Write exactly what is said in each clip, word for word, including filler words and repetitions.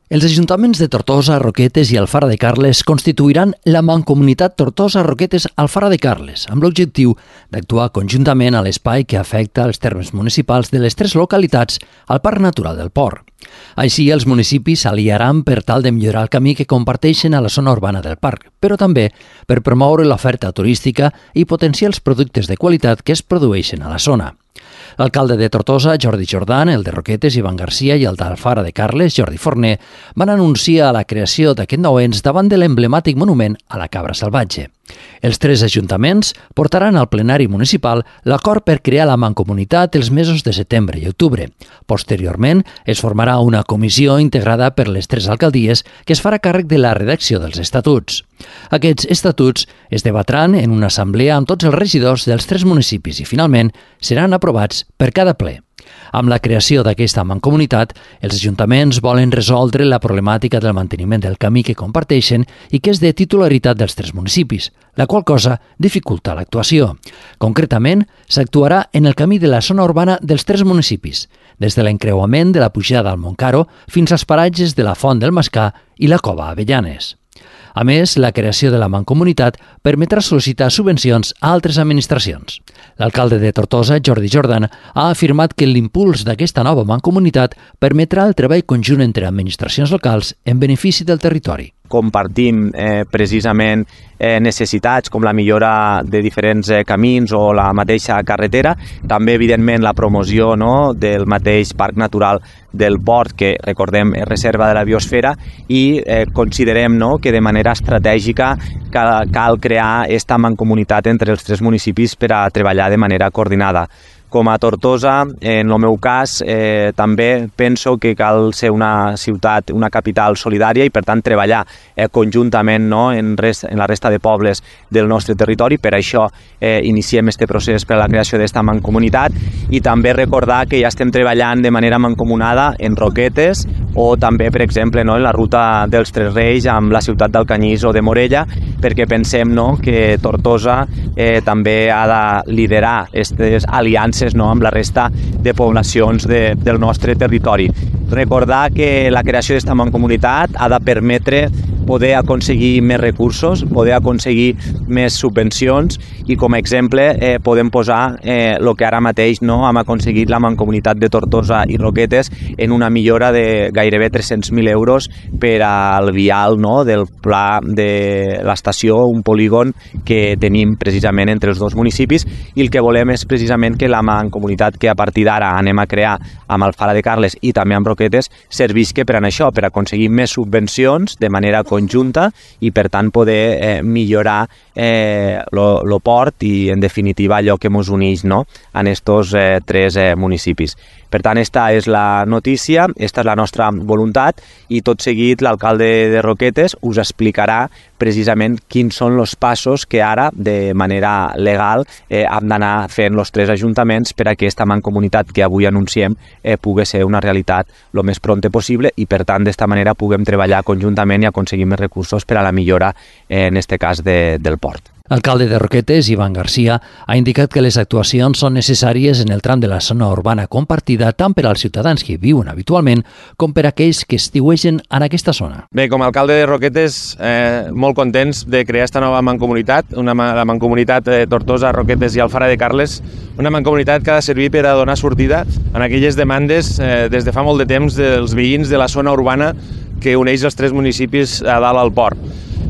Els ajuntaments de Tortosa, Roquetes i Alfara de Carles constituiran la Mancomunitat Tortosa, Roquetes, Alfara de Carles, amb l'objectiu d'actuar conjuntament a l'espai que afecta els termes municipals de les tres localitats al Parc Natural del Port. Així, els municipis s'aliaran per tal de millorar el camí que comparteixen a la zona urbana del parc, però també per promoure l'oferta turística i potenciar els productes de qualitat que es produeixen a la zona. L'alcalde de Tortosa, Jordi Jordan, el de Roquetes, Ivan Garcia, i el d'Alfara de Carles, Jordi Forner, van anunciar la creació d'aquest nou ens davant de l'emblemàtic monument a la cabra salvatge. Els tres ajuntaments portaran al plenari municipal l'acord per crear la mancomunitat els mesos de setembre i octubre. Posteriorment, es formarà una comissió integrada per les tres alcaldies que es farà càrrec de la redacció dels estatuts. Aquests estatuts es debatran en una assemblea amb tots els regidors dels tres municipis i, finalment, seran aprovats per cada ple. Amb la creació d'aquesta mancomunitat, els ajuntaments volen resoldre la problemàtica del manteniment del camí que comparteixen i que és de titularitat dels tres municipis, la qual cosa dificulta l'actuació. Concretament, s'actuarà en el camí de la zona urbana dels tres municipis, des de l'encreuament de la pujada al Montcaro fins als paratges de la Font del Mascà i la Cova Avellanes. A més, la creació de la mancomunitat permetrà sol·licitar subvencions a altres administracions. L'alcalde de Tortosa, Jordi Jordan, ha afirmat que l'impuls d'aquesta nova mancomunitat permetrà el treball conjunt entre administracions locals en benefici del territori. Compartim eh, precisament eh, necessitats com la millora de diferents eh, camins o la mateixa carretera, també evidentment la promoció, no, del mateix parc natural del port, que recordem és reserva de la biosfera, i eh, considerem, no, que de manera estratègica cal, cal crear aquesta mancomunitat entre els tres municipis per a treballar de manera coordinada. Com a Tortosa, en el meu cas, eh, també penso que cal ser una ciutat, una capital solidària i, per tant, treballar eh, conjuntament, no, en, rest, en la resta de pobles del nostre territori. Per això eh, iniciem este procés per a la creació d'esta mancomunitat, i també recordar que ja estem treballant de manera mancomunada en Roquetes o també, per exemple, no, en la ruta dels Tres Reis amb la ciutat d'Alcanyís o de Morella, perquè pensem, no, que Tortosa eh, també ha de liderar aquestes aliances, no, amb la resta de poblacions de, del nostre territori. Recordar que la creació d'esta mancomunitat ha de permetre poder aconseguir més recursos, poder aconseguir més subvencions, i com a exemple eh, podem posar eh, el que ara mateix, no, hem aconseguit la mancomunitat de Tortosa i Roquetes en una millora de gairebé tres-cents mil euros per al vial, no, del pla de l'estació, un polígon que tenim precisament entre els dos municipis, i el que volem és precisament que la mancomunitat que a partir d'ara anem a crear amb Alfara de Carles i també amb Roquetes servisca per a això, per aconseguir més subvencions de manera conjunta i, per tant, poder eh, millorar eh, lo, lo port i, en definitiva, allò que ens uneix, no, en estos eh, tres eh, municipis. Per tant, esta és la notícia, esta és la nostra voluntat, i tot seguit l'alcalde de Roquetes us explicarà precisament quins són els passos que ara, de manera legal, eh, hem d'anar fent els tres ajuntaments per a que aquesta mancomunitat que avui anunciem eh, pugui ser una realitat el més prompte possible, i, per tant, d'esta manera puguem treballar conjuntament i aconseguir més recursos per a la millora, eh, en aquest cas, de, del port. L'alcalde de Roquetes, Ivan Garcia, ha indicat que les actuacions són necessàries en el tram de la zona urbana compartida tant per als ciutadans que viuen habitualment com per a aquells que estiuegen en aquesta zona. Bé, com a alcalde de Roquetes, eh, molt contents de crear esta nova mancomunitat, una, la mancomunitat eh, Tortosa, Roquetes i Alfara de Carles, una mancomunitat que ha de servir per a donar sortida en aquelles demandes eh, des de fa molt de temps dels veïns de la zona urbana que uneix els tres municipis a dalt al port.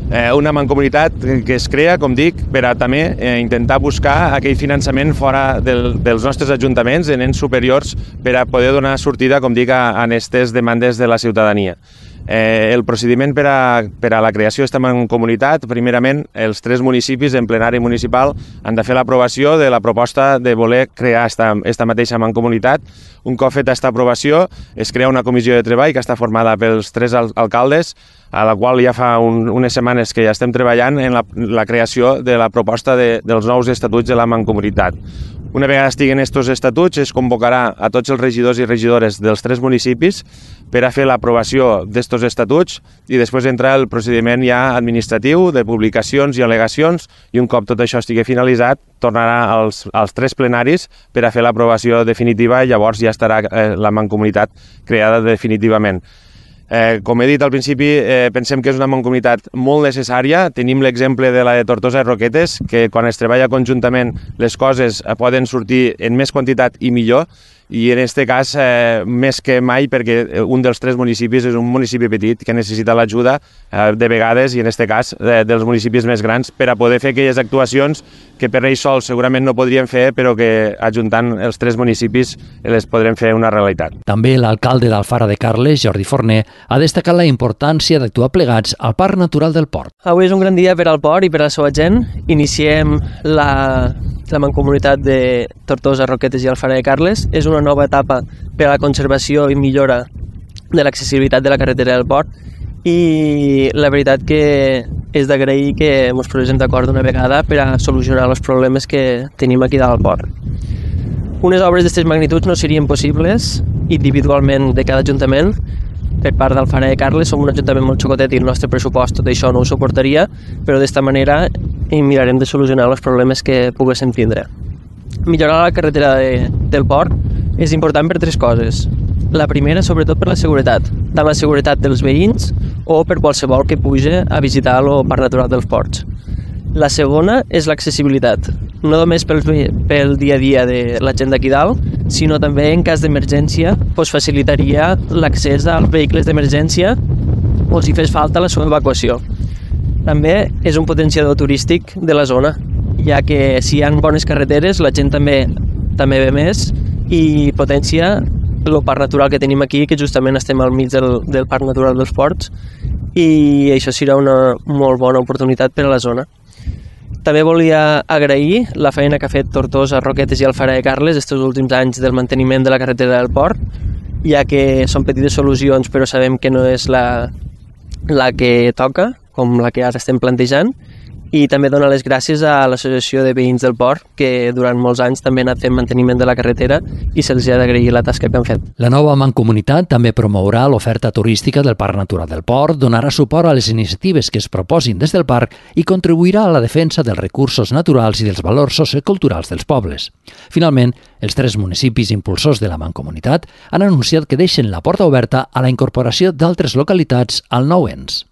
Eh, una mancomunitat que es crea, com dic, per a també eh, intentar buscar aquell finançament fora del, dels nostres ajuntaments, en ens superiors, per a poder donar sortida, com dic, a, a aquestes demandes de la ciutadania. Eh, el procediment per a, per a la creació d'esta mancomunitat, primerament, els tres municipis en plenari municipal han de fer l'aprovació de la proposta de voler crear esta, esta mateixa mancomunitat. Un cop feta aquesta aprovació, es crea una comissió de treball que està formada pels tres al alcaldes, a la qual ja fa un, unes setmanes que ja estem treballant en la, la creació de la proposta de, dels nous estatuts de la mancomunitat. Una vegada estiguen estos estatuts, es convocarà a tots els regidors i regidores dels tres municipis per a fer l'aprovació d'estos estatuts, i després entrar el procediment ja administratiu de publicacions i al·legacions, i un cop tot això estigui finalitzat, tornarà als, als tres plenaris per a fer l'aprovació definitiva, i llavors ja estarà eh, la mancomunitat creada definitivament. Eh, com he dit al principi, eh, pensem que és una mancomunitat molt necessària. Tenim l'exemple de la de Tortosa i Roquetes, que quan es treballa conjuntament les coses eh, poden sortir en més quantitat i millor, i en aquest cas eh, més que mai, perquè un dels tres municipis és un municipi petit que necessita l'ajuda eh, de vegades, i en aquest cas eh, dels municipis més grans, per a poder fer aquelles actuacions que per ells sols segurament no podríem fer, però que ajuntant els tres municipis les podrem fer una realitat. També l'alcalde d'Alfara de Carles, Jordi Forner, ha destacat la importància d'actuar plegats al Parc Natural del Port. Avui és un gran dia per al port i per a la seva gent. Iniciem la, la mancomunitat de Tortosa, Roquetes i Alfara de Carles. És una nova etapa per a la conservació i millora de l'accessibilitat de la carretera del port, i la veritat que és d'agrair que ens posem d'acord d'una vegada per a solucionar els problemes que tenim aquí dalt al port. Unes obres d'aquestes magnituds no serien possibles individualment de cada ajuntament. Per part d'Alfara de Carles som un ajuntament molt xocotet i el nostre pressupost tot això no ho suportaria, però d'esta manera mirarem de solucionar els problemes que poguéssim tindre. Millorar la carretera de, del port és important per tres coses. La primera, sobretot per la seguretat, tant la seguretat dels veïns o per qualsevol que puja a visitar el Parc Natural dels Ports. La segona és l'accessibilitat, no només pel, pel dia a dia de la gent d'aquí dalt, sinó també en cas d'emergència doncs facilitaria l'accés als vehicles d'emergència o si fes falta la seva evacuació. També és un potenciador turístic de la zona, ja que si hi ha bones carreteres la gent també també ve més i potencia el parc natural que tenim aquí, que justament estem al mig del, del Parc Natural dels Ports, i això serà una molt bona oportunitat per a la zona. També volia agrair la feina que ha fet Tortosa, Roquetes i Alfara de Carles aquests últims anys del manteniment de la carretera del port, ja que són petites solucions però sabem que no és la, la que toca, com la que ara estem plantejant, i també donar les gràcies a l'Associació de Veïns del Port, que durant molts anys també ha anat fent manteniment de la carretera i se'ls ha d'agrair la tasca que han fet. La nova mancomunitat també promourà l'oferta turística del Parc Natural del Port, donarà suport a les iniciatives que es proposin des del parc i contribuirà a la defensa dels recursos naturals i dels valors socioculturals dels pobles. Finalment, els tres municipis impulsors de la mancomunitat han anunciat que deixen la porta oberta a la incorporació d'altres localitats al nou ens.